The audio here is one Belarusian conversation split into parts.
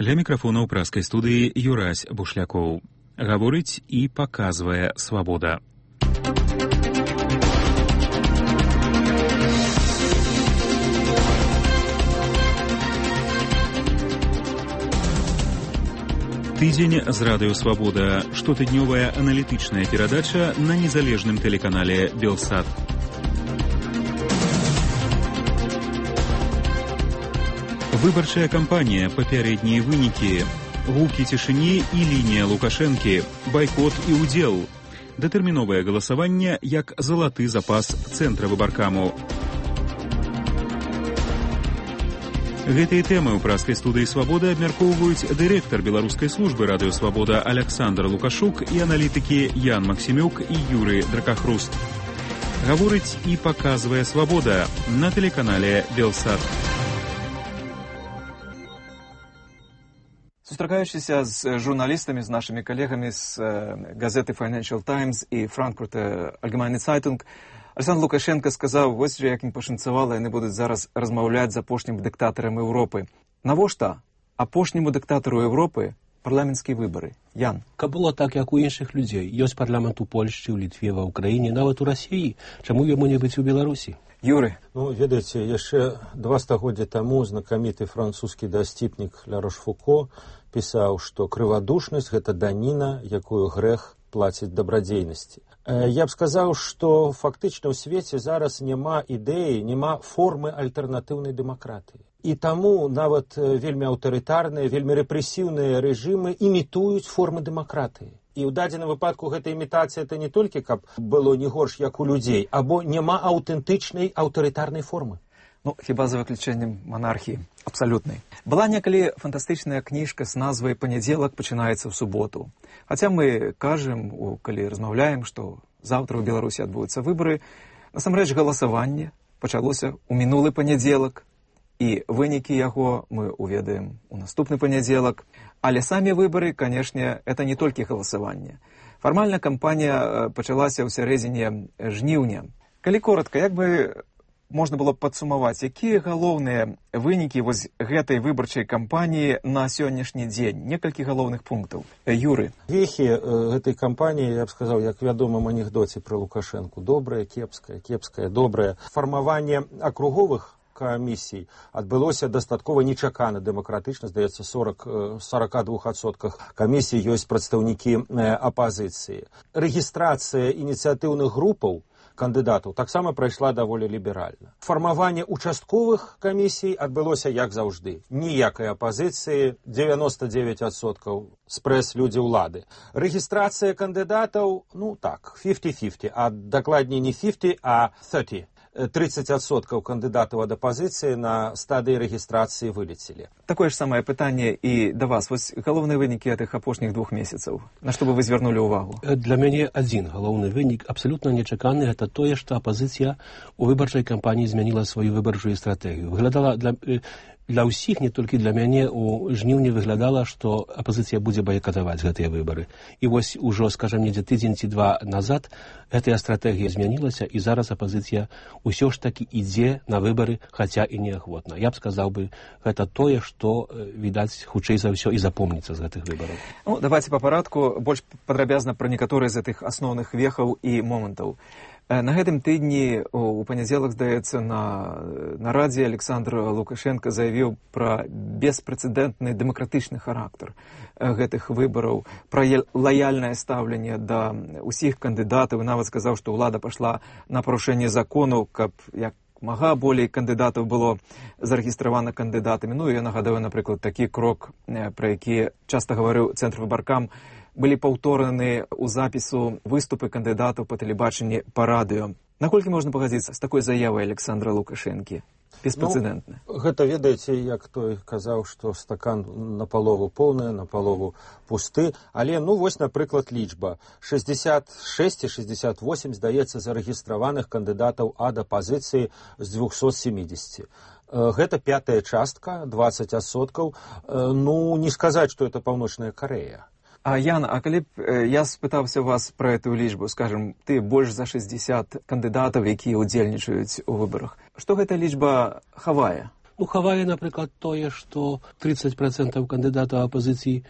Ля мікрафона ў праскай студыі Юрась Бушлякоў. Гаворыць і паказвае свабода. Тыдзень з радыё «Свабода». Штотыднёвая аналітычная перадача на незалежным тэлеканале «Белсат». Выбарчая кампанія, папярэднія вынікі, гукі цішыні і лінія Лукашэнкі, байкот і ўдзел, датэрміновае галасаванне як залаты запас цэнтра выбаркаму. Гэтыя тэмы ў праскай студыі «Свабода» абмяркоўваюць дырэктар беларускай службы радыё «Свабода» Аляксандр Лукашук і аналітыкі Ян Максімюк і Юры Дракахруст. Гаворыць і паказвае свабода на тэлеканале «Белсат». Сустракаючыся з журналістамі, з нашымі калегамі з газеты Financial Times і Frankfurter Allgemeine Zeitung, Александр Лукашенко сказаў, вось жа як ім пашанцавала, яны будуць зараз размаўляць з апошнім дыктатарам Еўропы. Навошта апошняму дыктатару Еўропы парламенцкія выбары? Ян. Каб было так, як у іншых людзей. Ёсць парламент у Польшчы, у Літве, ва Ўкраіне, нават у Расіі. Чаму яму не быць у Беларусі? Юры. Ведаеце, яшчэ 2 стагоддзя таму знакаміты французскі дасціпнік Ля Рошфуко пісаў, што крывадушнасць – гэта даніна, якую грэх плаціць дабрадзейнасці. Я б сказаў, што фактычна ў свеце зараз няма ідэі, няма формы альтэрнатыўнай дэмакратыі. І таму нават вельмі аўтарытарныя, вельмі рэпрэсіўныя рэжымы імітуюць формы дэмакратыі. І ў дадзеным выпадку гэта імітацыя это не толькі, каб было не горш, як у людзей, або няма аўтэнтычнай аўтарытарнай формы. Хіба за выключэннем манархіі абсалютнай. Была некалі фантастычная кніжка з назвай «Панядзелак пачынаецца ў суботу». Хаця мы кажам, калі размаўляем, што заўтра ў Беларусі адбудуцца выбары, насамрэч галасаванне пачалося ў мінулы панядзелак, і вынікі яго мы уведаем у наступны панядзелак. Але самі выбары, канешне, это не толькі галасаванне. Фармальна кампанія пачалася ў сярэдзіне жніўня. Калі коратка, як бы можна было падсумаваць, якія галоўныя вынікі вось гэтай выбарчай кампаніі на сённяшні дзень? Некалькі галоўных пунктаў. Юры. Вехі гэтай кампаніі, я б сказаў, як вядомым анекдоце пра Лукашэнку. Добрае, кепскае, кепскае, добрае. Фармаванне акруговых камісій адбылося дастаткова нечакана, дэмакратычна, здаецца, 42% камісій ёсць прадстаўнікі апазіцыі. Рэгістрацыя ініцыятыўных групаў кандыдатаў таксама прайшла даволі ліберальна. Фармаванне участковых камісій адбылося як заўжды. Ніякай апазіцыі, 99% спрэс людзі ўлады. Рэгістрацыя кандыдатаў, 50-50, а дакладней не 50, а 30. 30% кандыдатаў ад апазіцыі на стадыі рэгістрацыі вылецелі. Такое ж самае пытанне і да вас. Вось галоўныя вынікі гэтых апошніх 2 месяцаў. На што бы вы звярнулі ўвагу? Для мяне адзін галоўны вынік, абсалютна нечаканы, гэта тое, што апазіцыя у выбарчай кампаніі змяніла сваю выбарчую стратэгію. Выглядала для ўсіх, не толькі для мяне, у жніўні выглядала, што апазіцыя будзе байкатаваць гэтыя выбары. І вось ужо, скажам, недзе тыдзень ці 2 назад гэтая стратэгія змянілася, і зараз апазіцыя ўсё ж такі ідзе на выбары, хаця і неахвотна. Я б сказаў бы, гэта тое, што, відаць, хутчэй за ўсё і запомніцца з гэтых выбараў. Давайце па парадку больш падрабязна пра некаторыя з гэтых асноўных вехаў і момантаў. На гэтым тыдні у панядзелак, здаецца, на нарадзе Александр Лукашенко заявіў пра беспрэцэдэнтны дэмакратычны характар гэтых выбараў, пра лаяльнае стаўленне да ўсіх кандыдатаў, і нават сказаў, што ўлада пайшла на парушэнне закону, каб як мага болей кандыдатаў было зарэгістравана кандыдатамі. Я нагадаю, напрыклад, такі крок, пра які часта гаварыў цэнтр выбаркам, былі паўтораны ў запісу выступы кандыдатаў па тэлебачанні, па радыё. Наколькі можна пагадзіцца з такой заявай Александра Лукашэнкі? Беспрэцэдэнтна. Гэта, ведаеце, як той казаў, што стакан напалову поўны, напалову пусты. Але, вось, напрыклад, лічба. 66 і 68, здаецца, зарэгістраваных кандыдатаў ад апазіцыі з 270. Гэта 5-я частка, 20%. Не сказаць, што это Паўночная Карэя. Яна, а калі б я спытаўся вас пра эту лічбу, скажам, ты больш за 60 кандыдатаў, якія ўдзельнічаюць у выбарах, што гэта лічба хавае? Ну, хавае, напрыклад, тое, што 30% кандыдатаў апазіцыі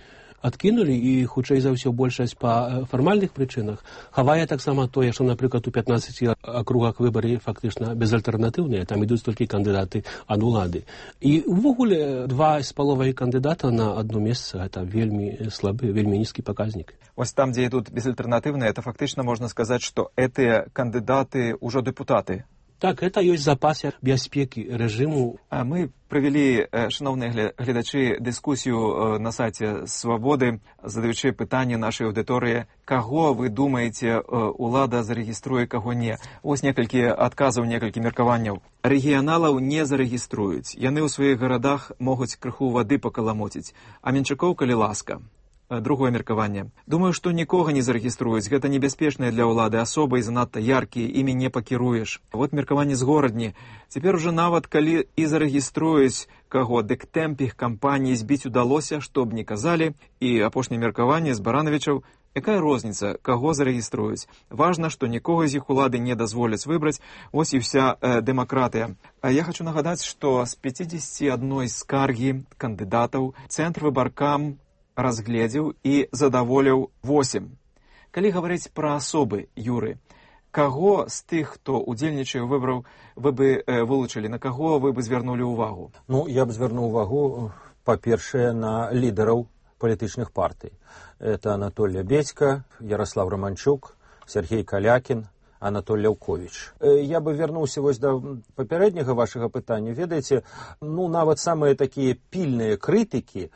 адкінулі, і, хутчэй за ўсё, большасць па фармальных прычынах. Хавае таксама тое, што, напрыклад, у 15 акругах выбары фактычна безальтэрнатыўныя, там ідуць толькі кандыдаты ад улады. І увогуле 2,5 кандыдата на одно месца, гэта вельмі слабы, вельмі нізкі паказнік. Вось там, дзе ідуць безальтэрнатыўныя, это фактычна можна сказаць, што гэтыя кандыдаты ўжо дэпутаты. Так, это ёсць запас бяспекі рэжыму. Мы правялі, шановныя гледачы, дыскусію на сайце Свабоды, задаючы пытанне нашай аўдыторыі, каго вы думаеце улада зарэгіструе, каго не. Вось некалькі адказаў, некалькі меркаванняў. Рэгіяналаў не зарэгіструюць. Яны ў сваіх гарадах могуць крыху вады пакаламоціць. А менчакоў, калі ласка. Другое меркаванне. Думаю, што нікога не зарэгіструюць. Гэта небяспечныя для ўлады асобы і занадта яркія, імі не пакіруеш. Вот меркаванне з горадні. Цяпер ужо нават калі і зарэгіструюць каго, дык тэмп іх кампаніі збіць удалося, што б не казалі. І апошняе меркаванне з Барановічаў. Якая розніца, каго зарэгіструюць? Важна, што нікога з іх улады не дазволяць выбраць. Ось і вся дэмакратыя. Я хочу нагадаць, што з 51 скаргі кандыдатаў Цэнтр выбаркам разгледзеў і задаволіў 8. Калі гаварыць пра асобы, Юры, каго з тых, хто удзельнічае ў выбарах, вы бы вылучылі, на каго вы бы звярнулі ўвагу? Ну, я б звярнуў увагу, па-першае, на лідараў палітычных партый. Это Анатолий Бедька, Ярослав Романчук, Сергей Калякін, Анатолий Лаўковіч. Я бы вярнуўся вось да папярэдняга вашага пытання. Ведаеце, ну, нават самыя такія пільныя крытыкі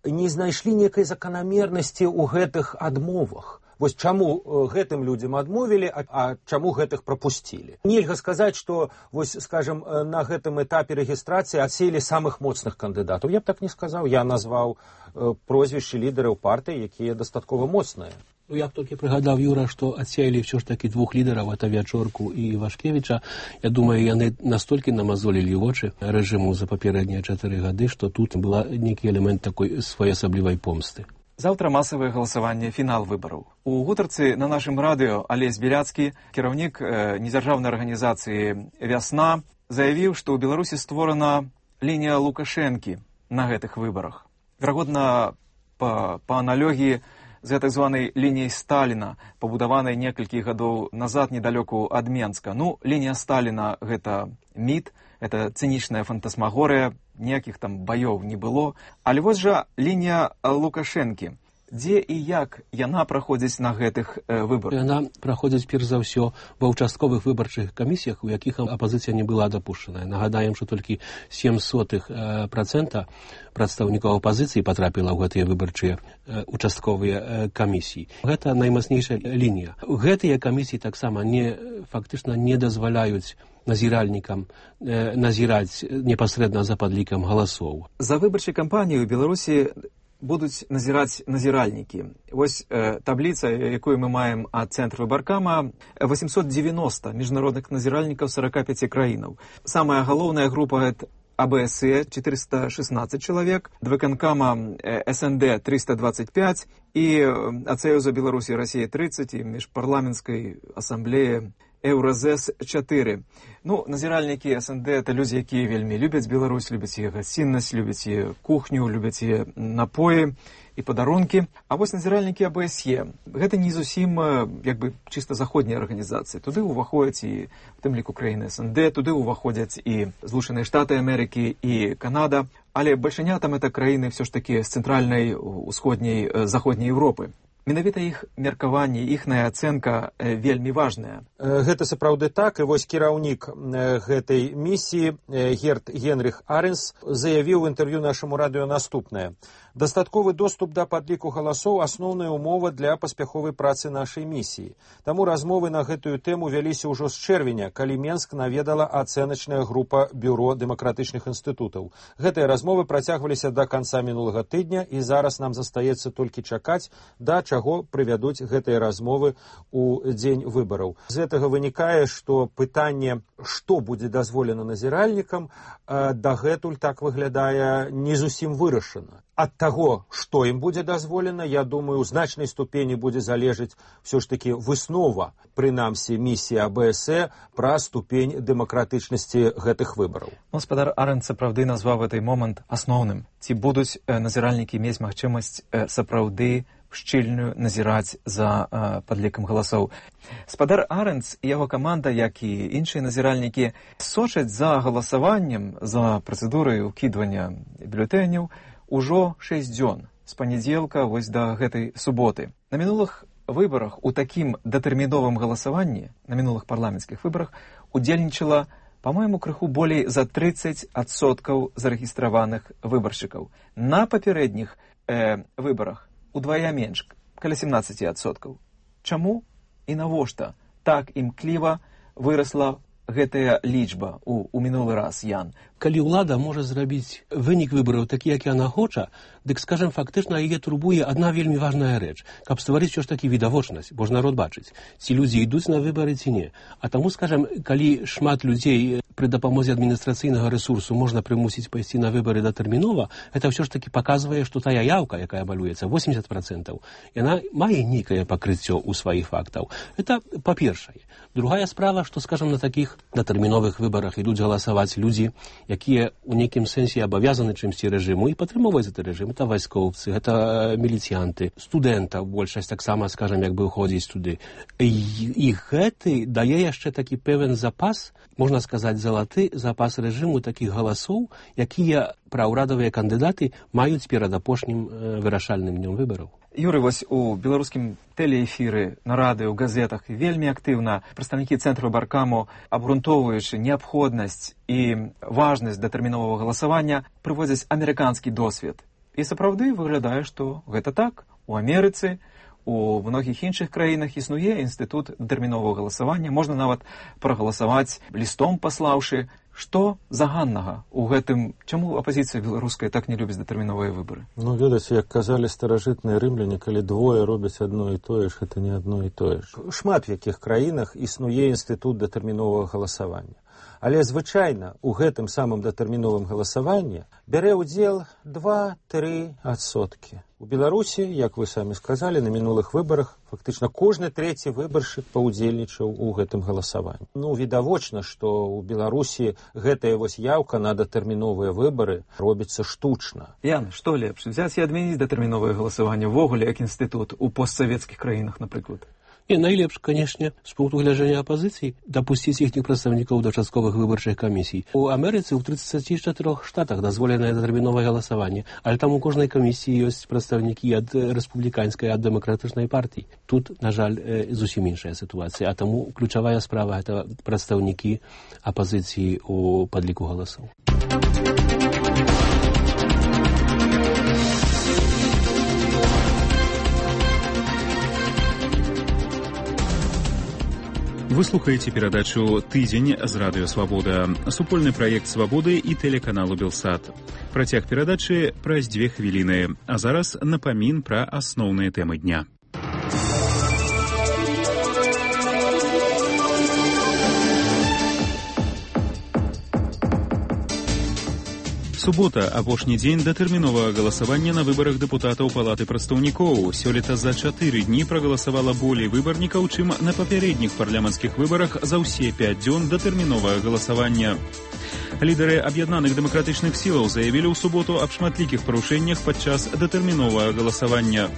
не знайшлі некай заканамернасці ў гэтых адмовах. Вось чаму гэтым людзям адмовілі, а чаму гэтых прапусцілі. Нельга сказаць, што, вось, скажем, на гэтым этапе рэгістрацыі адселі самых моцных кандыдатаў. Я б так не сказаў. Я назваў прозвішчы лідараў партый, якія дастаткова моцныя. Ну, я б толькі прыгадаў, Юра, што адсеялі ўсё ж такі 2 лідараў, это Вячорку і Вашкевіча. Я думаю, яны настолькі намазолілі вочы рэжыму за папярэднія 4 гады, што тут была нейкі элемент такой своеасаблівай помсты. Заўтра масавае галасаванне, фінал выбараў. У гутарцы на нашым радыё Алесь Беляцкі, кіраўнік недзяржаўнай арганізацыі «Вясна», заявіў, што ў Беларусі створана лінія Лукашэнкі на гэтых выбарах. Верагодна, па аналогіі з так званай лініяй Сталіна, пабудаванай некалькі гадоў назад недалёку ад Менска. Ну, лінія Сталіна – гэта міт, гэта цынічная фантасмагорыя, ніякіх там баёў не было. Але вось жа лінія Лукашэнкі. Дзе і як яна праходзіць на гэтых выбарах? Яна праходзіць, перш за ўсё, ва ўчастковых выбарчых камісіях, у якіх апазіцыя не была дапушчаная. Нагадаем, што толькі 0,07% прадстаўнікоў апазіцыі патрапіла ў гэтыя выбарчыя участковыя камісіі. Гэта наймацнейшая лінія. Гэтыя камісіі таксама фактычна не дазваляюць назіральнікам назіраць непасрэдна за падлікам галасоў. За выбарчай кампаніяй у Беларусі будуць назіраць назіральнікі. Вось табліца, якую мы маем ад Цэнтра выбаркама, 890 міжнародных назіральнікаў 45 краінаў. Самая галоўная група – АБСЕ 416 чалавек, ВКНКама СНД 325 і ад Саюза Беларусі і Расіі 30 і міжпарламенцкай асамблеі Еўразэс 4. Ну, назіральнікі СНД – это людзі, якія вельмі любяць Беларусь, любяць яе гасціннасць, любяць яе кухню, любяць яе напоі і падарункі. А вось назіральнікі АБСЕ – гэта не зусім, як бы, чыста заходнія арганізацыі. Туды ўваходзяць і, в тым ліку, краіны СНД, туды ўваходзяць і Злучаныя Штаты Амерыкі, і Канада. Але бальшыня там – это краіны ўсё ж такі з цэнтральнай, усходняй, заходняй Еўропы. Менавіта іх меркаванне, іхная ацэнка вельмі важная. Гэта сапраўды так, і вось кіраўнік гэтай місіі Герт Генріх Аренс заявіў у інтэрв'ю нашаму радыё наступнае. Дастатковы доступ да падліку галасоў – асноўная ўмова для паспяховай працы нашай місіі. Таму размовы на гэтую тэму вяліся ўжо з чэрвеня, калі Менск наведала ацэначная група Бюро дэмакратычных інстытутаў. Гэтыя размовы працягваліся да канца мінулага тыдня, і зараз нам застаецца толькі чакаць, да чаго прывядуць гэтыя размовы ў дзень выбараў. З гэтага вынікае, што пытанне, што будзе дазволена назіральнікам, дагэтуль так выглядае не зусім вырашана. ад таго, што ім будзе дазволена, я думаю, у значнай ступені будзе залежаць все ж таки выснова, прынамсі місіі АБС пра ступень дэмакратычнасці гэтых выбараў. Гаспадар Арендт сапраўды назваў гэты момант асноўным. Ці будуць назіральнікі мець магчымасць сапраўды шчыльную назіраць за падлікам галасоў. Гаспадар Арендт і яго каманда, як і іншыя назіральнікі, сочаць за галасаваннем, за працэдурай укідвання бюлетэняў ужо 6 дзён, з панядзелка вось да гэтай суботы. На мінулых выбарах, у такім датэрміновым галасаванні, на мінулых парламенцкіх выбарах, удзельнічала, па-мойму, крыху болей за 30% зарэгістраваных выбаршчыкаў. На папярэдніх выбарах удвая менш, каля 17%. Чаму і навошта так імкліва вырасла гэтая лічба у мінулы раз, Ян? Калі ўлада можа зрабіць вынік выбараў такі, як яна хоча, дык, скажем, фактычна яе турбуе адна вельмі важная рэч, каб стварыць ўсё ж такі відавочнасць, бо ж народ бачыць, ці людзі ідуць на выбары ці не. А таму, скажем, калі шмат людзей пры дапамозе адміністрацыйнага рэсурсу можна прымусіць пайсці на выбары датэрмінова, гэта ўсё ж такі паказвае, што тая яўка, якая балюецца, 80%, яна мае нейкае пакрыццё ў сваіх фактаў. Это па-першае. Другая справа, што, скажем, на такіх датэрміновых выбарах ідуць галасаваць людзі, якія ў нейкім сэнсе абавязаны чымсьці рэжыму і падтрымоўваюць гэты рэжым. Это вайскоўцы, гэта міліцыянты, студэнта, большасць таксама, скажем, як бы ходзіць туды. І гэты дае яшчэ такі пэвен запас, можна сказаць, залаты запас рэжыму такіх галасоў, якія праўрадавыя кандыдаты маюць перад апошнім вырашальным днём выбараў. Юрый, вось у беларускім тэлеэфіры, на радыё, газетах вельмі актыўна прадстаўнікі цэнтру баркаму, абгрунтоўваючы неабходнасць і важнасць датэрміновага галасавання, прыводзяць амерыканскі досвед. І сапраўды выглядае, што гэта так. У Амерыцы, у многіх іншых краінах існуе інстытут датэрміновага галасавання. Можна нават прагаласаваць лістом паслаўшы. Што заганнага ў гэтым? Чаму апазіцыя беларуская так не любіць датэрміновыя выбары? Ну, ведаце, як казалі старажытныя рымляне, калі двое робяць адно і тое ж, гэта не адно і тое ж. Шмат в якіх краінах існуе інстытут датэрміновага галасавання. Але звычайна ў гэтым самым датэрміновым галасаванні бярэ ўдзел 2-3%. У Беларусі, як вы самі сказалі, на мінулых выбарах фактычна кожны трэці выбаршчык паўдзельнічаў у гэтым галасаванні. Ну, відавочна, што ў Беларусі гэтая вось яўка на датэрміновыя выбары робіцца штучна. Ян, што лепш, взяць і адмяніць датэрміновае галасаванне ввогуле як інстытут у постсавецкіх краінах, напрыклад? І найлепш, канешне, з пункту гледжання апазіцыі дапусціць іхніх прадстаўнікоў да частковых выбарчых камісій. У Амерыцы ў 34 штатах дазволенае датэрміновае галасаванне, але там у кожнай камісіі ёсць прадстаўнікі ад рэспубліканскай, ад дэмакратычнай партыі. Тут, на жаль, зусім іншая сітуацыя, а таму ключавая справа гэта прадстаўнікі апазіцыі ў падліку галасоў. Вы слухаеце перадачу «Тыдзень» з радыё «Свабода», супольны праект «Свабоды» і тэлеканалу «Белсат». Працяг перадачы праз 2 хвіліны, а зараз напамін пра асноўныя тэмы дня. Субота – апошні дзень датэрміновага галасавання на выбарах дэпутатаў Палаты прадстаўнікоў. Сёлета за 4 дні прагаласавала болей выбарнікаў, чым на папярэдніх парламенцкіх выбарах за ўсе 5 дзён датэрміновага галасавання. Лідары аб'яднаных дэмакратычных сілаў заявілі ў суботу аб шматлікіх парушэннях падчас датэрміновага галасавання.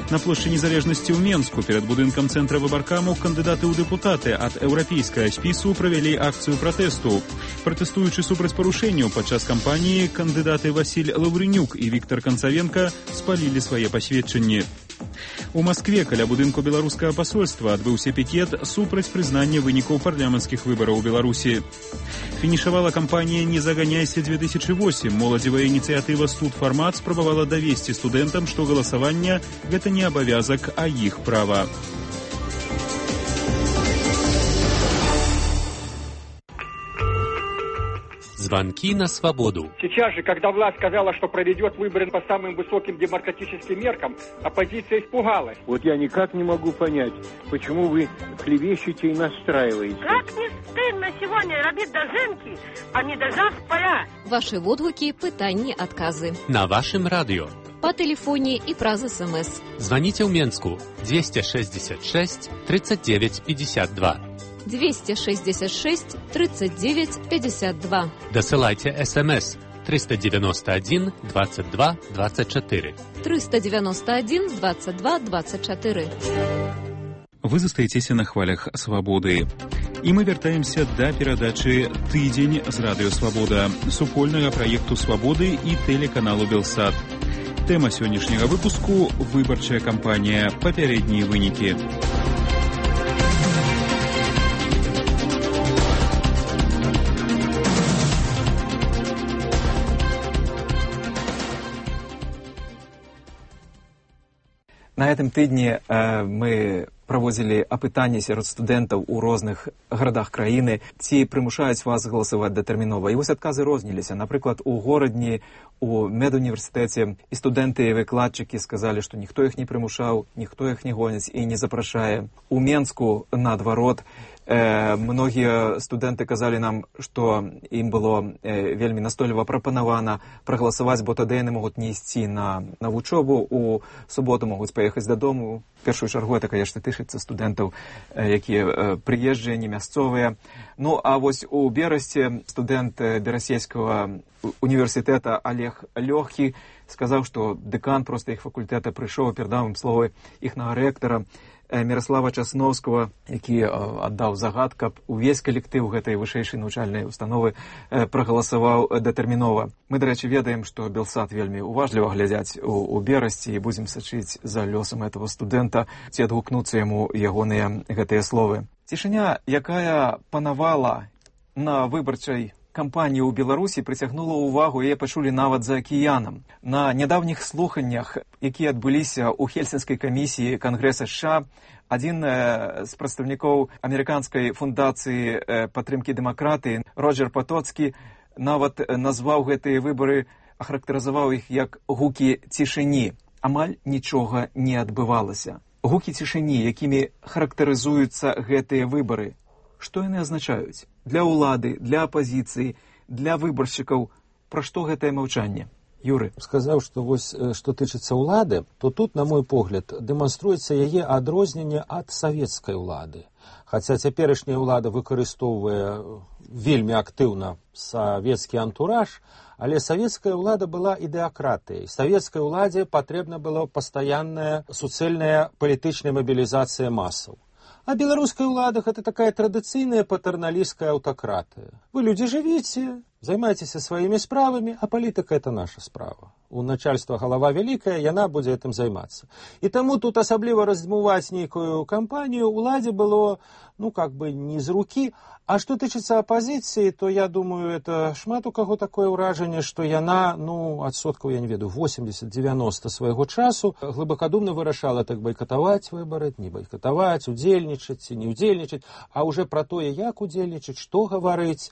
На плошчы Незалежнасці ў Менску перад будынкам цэнтра выбаркаму кандыдаты ў дэпутаты ад еўрапейскага спісу правялі акцыю пратэсту. Пратэстуючы супраць парушэнняў падчас кампаніі, кандыдаты Васіль Лаўрынюк і Віктар Канцавенка спалілі свае пасведчанні. У Маскве каля будынку беларускага пасольства адбыўся пікет супраць прызнання вынікаў парламенцкіх выбараў у Беларусі. Фінішавала кампанія «Не заганяйся-2008». Моладзевая ініцыятыва «Студфармат» спрабавала давесці студэнтам, што галасаванне – гэта не абавязак, а іх права. Звонки на свободу. Сейчас же, когда власть сказала, что проведет выборы по самым высоким демократическим меркам, оппозиция испугалась. Вот я никак не могу понять, почему вы клевещете и настраиваете. Как не стыдно сегодня робить дожинки, а не дожав поля. Ваши відгуки, питання, отказы. На вашем радио. По телефоне и праз СМС. Звоните в Менску 266 39 52. 266 39 52. Досылайте СМС 391 22 24. 391 22 24. Вы застаецеся на хвалях свабоды. І мы вяртаемся да перадачы «Тыдзень» з радыё «Свабода», супольнага праекту «Свабоды» і тэлеканалу «Белсат». Тэма сённяшняга выпуску – выбарчая кампанія, папярэднія вынікі. На гэтым тыдні мы праводзілі апытанні сярод студэнтаў у розных гарадах краіны, ці прымушаюць вас галасаваць датэрмінова. І вось адказы розніліся. Напрыклад, у горадні, у медуніверсітэце і студэнты і выкладчыкі сказалі, што ніхто іх не прымушаў, ніхто іх не гоніць і не запрашае. У Менску, наадварот, многія студэнты казалі нам, што ім было вельмі настойліва прапанавана прагаласаваць, бо тады яны могуць не ісці на вучобу, у суботу могуць паехаць дадому. В першую чаргу это, конечно, тычыцца студэнтаў, якія прыезджыя, не мясцовыя. Ну, а вось у Берасці студэнт Берасейскага універсітэта Олег Лёгкі сказаў, што дэкан проста іх факультэта прыйшоў, перадаў ім словы іхнага рэктара Міраслава Часноўскага, які аддаў загад, каб увесь калектыў гэтай вышэйшай навучальнай установы прагаласаваў датэрмінова. Мы, дарэчы, ведаем, што Белсат вельмі уважліва глядзяць у Берасці і будзем сачыць за лёсам этого студэнта, ці адгукнуцца яму ягоныя гэтыя словы. Цішыня, якая панавала на выбарчай кампанії ў Беларусі, прыцягнула ўвагу, яе пачулі нават за акіянам. На нядаўніх слуханнях, якія адбыліся ў Хельсінскай камісіі Кангрэса США, адзін з прадстаўнікоў амерыканскай фундацыі падтрымкі дэмакратыі Роджер Патоцкі нават назваў гэтыя выбары, ахарактарызаваў іх як гукі цішыні. Амаль нічога не адбывалася. Гукі цішыні, якімі характарызуюцца гэтыя выбары. Што яны азначаюць? Для ўлады, для апазіцыі, для выбаршчыкаў. Пра што гэтае маўчанне? Юры. Сказаў, што вось, што тычыцца ўлады, то тут, на мой погляд, дэманструецца яе адрозненне ад савецкай улады. Хаця цяперашняя ўлада выкарыстоўвае вельмі актыўна савецкі антураж, але савецкая ўлада была ідэакратыяй. Савецкай уладзе патрэбна была пастаянная суцэльная палітычная мабілізацыя масаў. А беларуская ўлада – гэта такая традыцыйная патэрналісцкая аўтакратыя. Вы, людзі, жывіце, займайцеся сваімі справамі, а палітыка – это наша справа. У начальства галава вялікая, яна будзе гэтым займацца. І таму тут асабліва раздзьмуваць нейкую кампанію ўладзе было, ну, как бы не з рукі. А што тычыцца апазіцыі, то я думаю, это шмат у каго такое ўражанне, што яна, ну, адсоткаў, я не ведаю, 80-90 свайго часу глыбакадумна вырашала так байкатаваць выбары, не байкатаваць, удзельнічаць ці не удзельнічаць, а уже пра тое, як удзельнічаць, што гаварыць,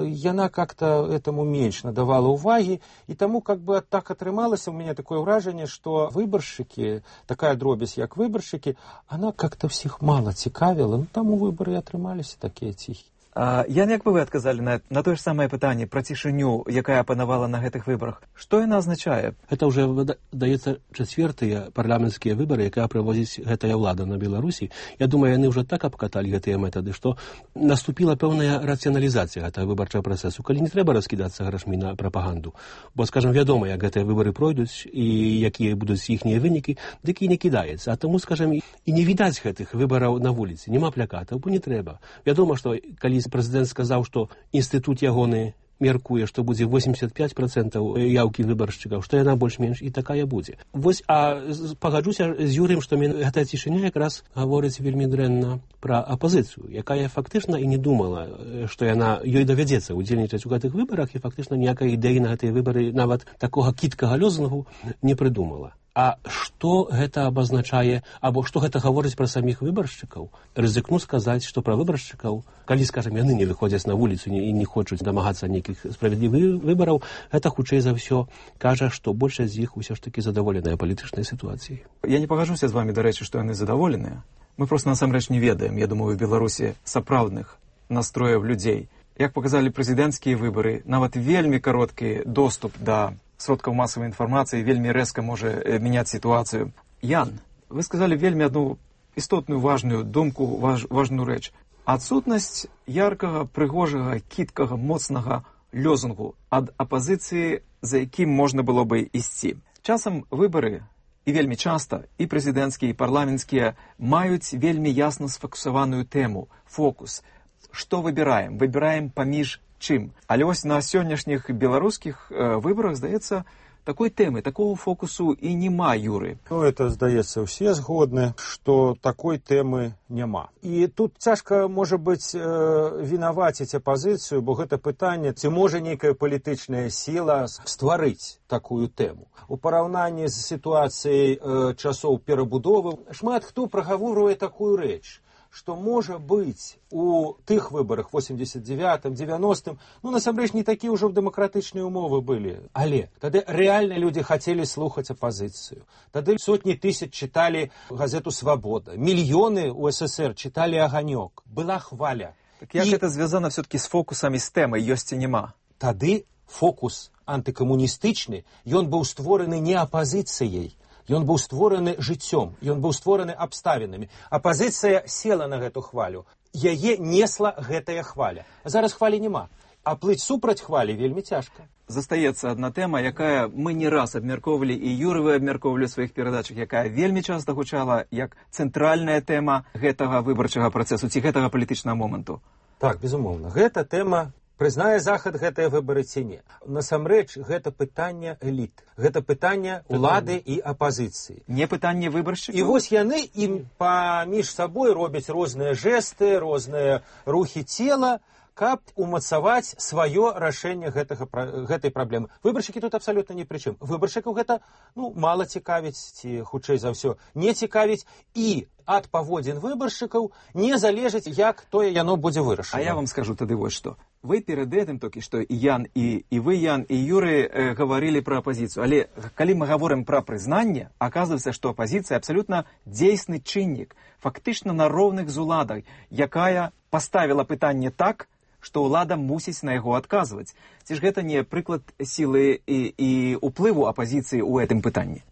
яна как-то этому менш надавала ўвагі, і таму как бы так атрымалася у мяне такое ўражанне, што выбаршчыкі, такая дробязь, як выбаршчыкі, она как-то всіх мала цікавіла, ну, таму выбары атрымаліся такія ціхі. Ян, як бы вы адказалі на тое ж самае пытанне пра цішыню, якая панавала на гэтых выбарах? Што яна азначае? Это ўжо, даецца, чацвёртыя парламенцкія выбары, якая праводзіць гэтая ўлада на Беларусі. Я думаю, яны ўжо так абкаталі гэтыя метады, што наступіла пэўная рацыяналізацыя гэтага выбарчага працэсу, калі не трэба раскідацца грашмі на прапаганду. Бо, скажам, вядома, як гэтыя выбары пройдуць і якія будуць іхнія вынікі, дык і не кідаецца. А таму, скажам, і не відаць гэтых выбараў на вуліцы, няма плакатаў, бо не трэба. Вядома, што калі прэзідэнт сказаў, што інстытут ягоны меркуе, што будзе 85% яўкі выбаршчыкаў, што яна больш-менш і такая будзе. Вось, а пагаджуся з Юрыем, што гэтая цішыня якраз гаворыць вельмі дрэнна пра апазіцыю, якая фактычна і не думала, што яна ёй давядзецца удзельнічаць у гэтых выбарах, і фактычна ніякай ідэі на гэтыя выбары нават такога кіткага лозунгу не прыдумала. А што гэта абазначае, або што гэта гаворыць пра саміх выбаршчыкаў? Рызыкну сказаць, што пра выбаршчыкаў, калі, скажам, яны не выходзяць на вуліцу і не хочуць дамагацца нейкіх справядлівых выбараў, гэта, хутчэй за ўсё, кажа, што большасць з іх усё ж такі задаволеныя палітычнай сітуацыяй. Я не пагажуся з вамі, дарэчы, што яны задаволеныя. Мы проста насамрэч не ведаем, я думаю, в Беларусі сапраўдных настрояў людзей. Як паказалі прэзідэнцкія выбары, нават вельмі кароткі доступ да сродкаў масавай інфармацыі вельмі рэзка можа мяняць сітуацыю. Ян, вы сказалі вельмі адну істотную важную думку, важную рэч. Адсутнасць яркага, прыгожага, кіткага, моцнага лёзунгу ад апазіцыі, за якім можна было бы ісці. Часам выбары, і вельмі часта, і прэзідэнцкія, і парламенцкія, маюць вельмі ясна сфокусаваную тэму, фокус. Што выбіраем? Выбіраем паміж чым? Але вось на сённяшніх беларускіх выбарах, здаецца, такой тэмы, такого фокусу і няма, Юры. Ну, это, здаецца, усе згодны, што такой тэмы няма. І тут цяжка, можа быць, вінаваціць апазіцыю, бо гэта пытанне, ці можа нейкая палітычная сіла стварыць такую тэму. У параўнанні з сітуацыяй часоў перабудовы шмат хто прагаворвае такую рэч, што, можа быць, у тых выбарах 89-м, 90-м, ну, насамрэч, не такія ўжо дэмакратычныя ўмовы былі. Але тады рэальна людзі хацелі слухаць апазіцыю. Тады сотні тысяч чыталі газету «Свабода». Мільёны ў СССР чыталі «Аганёк». Была хваля. Так як гэта звязана все-таки з фокусамі, з тэмай, ёсць ці няма? Тады фокус антыкамуністычны, ён быў створаны не апазіцыяй, ён быў створаны жыццём, ён быў створаны абставінамі. Апазіцыя села на гэту хвалю. Яе несла гэтая хваля. Зараз хвалі няма. А плыць супраць хвалі вельмі цяжка. Застаецца адна тэма, якая мы не раз абмяркоўвалі, і Юры вы абмяркоўвалі ў сваіх перадачах, якая вельмі часта гучала як цэнтральная тэма гэтага выбарчага працэсу ці гэтага палітычнага моманту. Так, безумоўна. Гэта тэма, прызнае Захад гэтыя выбары ці не. Насамрэч, гэта пытанне эліт. Гэта пытанне улады і апазіцыі. Не пытанне выбаршчыкаў? І вось яны ім паміж сабой робяць розныя жэсты, розныя рухі цела, каб умацаваць сваё рашэнне гэтай праблемы. Выбаршчыкі тут абсалютна ні пры чым. Выбаршчыкаў гэта, мала цікавіць, ці, хутчэй за ўсё, не цікавіць, і ад паводзін выбаршчыкаў не залежыць, як тое яно будзе вырашана. А я вам скажу тады вось што. Вы перед этим толькі што і Ян, і вы, Ян, і Юры гаварылі пра апазіцыю. Але калі мы гаворым пра прызнанне, аказваецца, што апазіцыя абсалютна дзейсны чыннік, фактычна на роўных з уладай, якая паставіла пытанне так, што ўлада мусіць на яго адказваць. Ці ж гэта не прыклад сілы і ўплыву апазіцыі ў гэтым пытанні?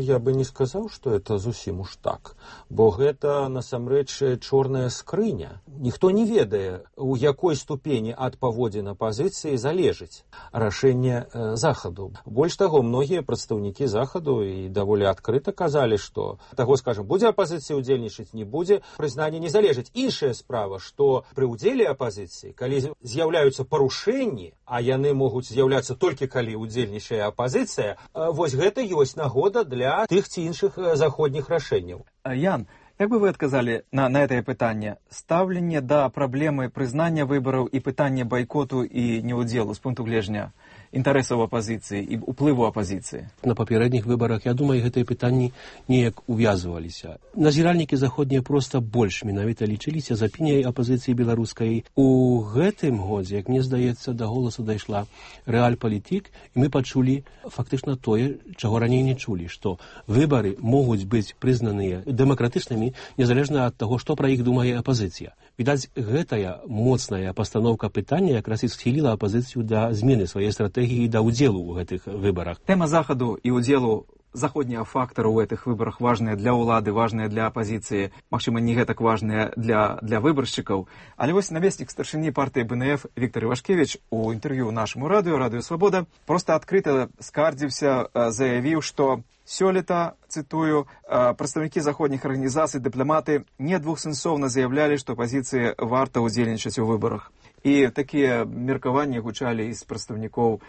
Я бы не сказаў, што это зусім уж так. Бо гэта, насамрэч, чорная скрыня. Ніхто не ведае, у якой ступені ад паводзін апазіцыі залежыць рашэнне Захаду. Больш таго, многія прадстаўнікі Захаду і даволі адкрыта казалі, што таго, скажам, будзе апазіцыя ўдзельнічаць, не будзе, прызнанне не залежыць. Іншая справа, што пры ўдзеле апазіцыі, калі з'яўляюцца парушэнні, а яны могуць з'яўляцца толькі калі ўдзельнічае апазіцыя, вось гэта ёсць нагода для тых ці іншых заходніх рашэнняў. Ян, як бы вы адказалі на гэтае пытанне? Стаўленне да праблемы прызнання выбараў і пытання байкоту і неўдзелу з пункту гледжання інтарэсаў апазіцыі і ўплыву апазіцыі? На папярэдніх выбарах, я думаю, гэтыя пытанні неяк увязваліся. Назіральнікі заходнія проста больш менавіта лічыліся за апініяй апазіцыі беларускай. У гэтым годзе, як мне здаецца, да голасу дайшла рэальпалітык, і мы пачулі фактычна тое, чаго раней не чулі, што выбары могуць быць прызнаныя дэмакратычнымі, незалежна ад таго, што пра іх думае апазіцыя. Відаць, гэтая моцная пастаноўка пытання якраз і схіліла апазіцыю да змены сваёй стратэгіі да ўдзелу ў гэтых выбарах. Тэма Захаду і ўдзелу заходнія фактары ў гэтых выбарах важныя для ўлады, важныя для апазіцыі, магчыма, не гэтак важныя для выбаршчыкаў. Але вось намеснік старшыні партыі БНФ Віктор Івашкевіч у інтэрв'ю нашаму радыё «Свабода» проста адкрыта скардзіўся, заявіў, што сёлета, цытую, прадстаўнікі заходніх арганізацый, дыпламаты недвухсэнсоўна заявлялі, што апазіцыі варта ўдзельнічаць у выбарах. І такія меркаванні гучалі з прадстаўнікоў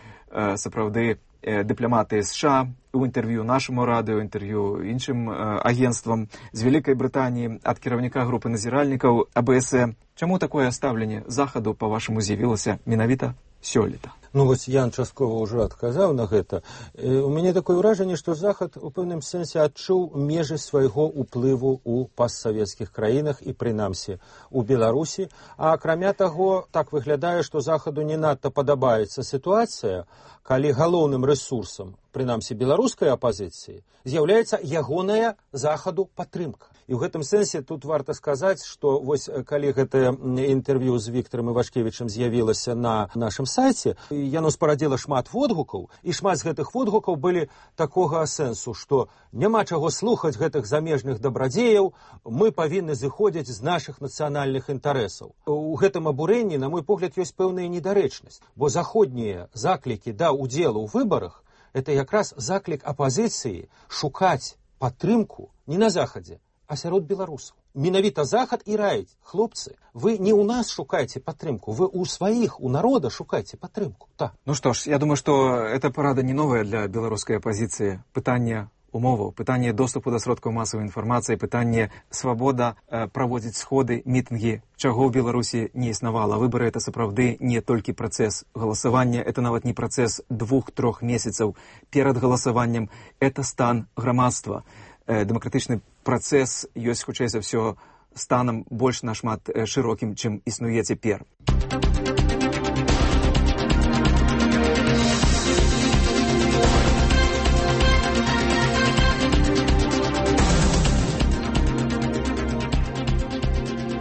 сапраўды дыпламаты США у інтэрв'ю нашаму радыё, інтэрв'ю іншым агенцтвам з Вялікай Брытаніі, ад кіраўніка групы назіральнікаў АБС. Чаму такое стаўленне Захаду, па-вашаму, з'явілася менавіта сёлета. Ну вось Ян часткова ўжо адказаў на гэта. У мяне такое ўражанне, што Захад у пэўным сэнсе адчуў межы свайго ўплыву ў постсавецкіх краінах і прынамсі у Беларусі. А акрамя таго, так выглядае, што Захаду не надта падабаецца сітуацыя, калі галоўным рэсурсам, прынамсі беларускай апазіцыі, з'яўляецца ягоная Захаду падтрымка. І ў гэтым сэнсе тут варта сказаць, што вось калі гэтае інтэрв'ю з Віктарам Івашкевічам з'явілася на нашым сайце, яно спарадзіла шмат водгукаў, і шмат з гэтых водгукаў былі такога сэнсу, што няма чаго слухаць гэтых замежных дабрадзеяў, мы павінны зыходзіць з нашых нацыянальных інтарэсаў. У гэтым абурэнні, на мой погляд, ёсць пэўная недарэчнасць, бо заходнія заклікі да удзелу ў выбарах – это якраз заклік апазіцыі шукаць падтрымку не на Захадзе, а сярод беларусаў. Менавіта Захад і раіць: хлопцы, вы не ў нас шукайце падтрымку, вы ў сваіх, у народа шукайце падтрымку. Так. Ну што ж, я думаю, што эта парада не новая для беларускай апазіцыі. Пытанне умоваў, пытанне доступу да сродкаў масавай інфармацыі, пытанне свабода праводзіць сходы, мітынгі, чаго ў Беларусі не існавала. Выбары — это сапраўды не толькі працэс галасавання, это нават не працэс 2-3 месяцаў перад галасаваннем, это стан грамадства. Дэмакратычны працэс ёсць, хутчэй за ўсё, станам больш нашмат шырокім, чым існуе цяпер.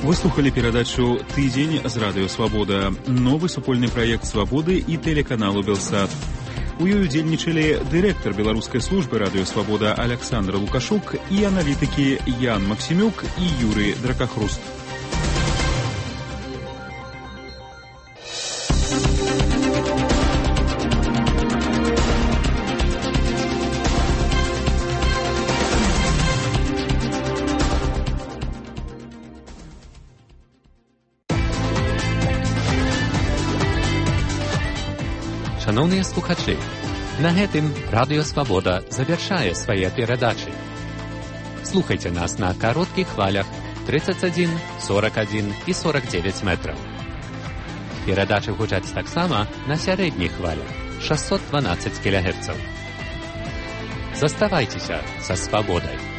Вы слухали перадачу «Тыдзень» з радыё «Свабода», новы супольны праект «Свабоды» і тэлеканалу «Белсат». У ёй удзельнічалі дырэктар беларускай службы радыё «Свабода» Александр Лукашук і аналітыкі Ян Максімюк і Юры Дракахруст. Шановні слухачі, на гэтым Радыё Свабода завяршае свае перадачы. Слухайце нас на кароткіх хвалях 31, 41 і 49 метраў. Перадачы гучаць таксама на сярэдніх хвалях 612 кГц. Заставайцеся са свабодай.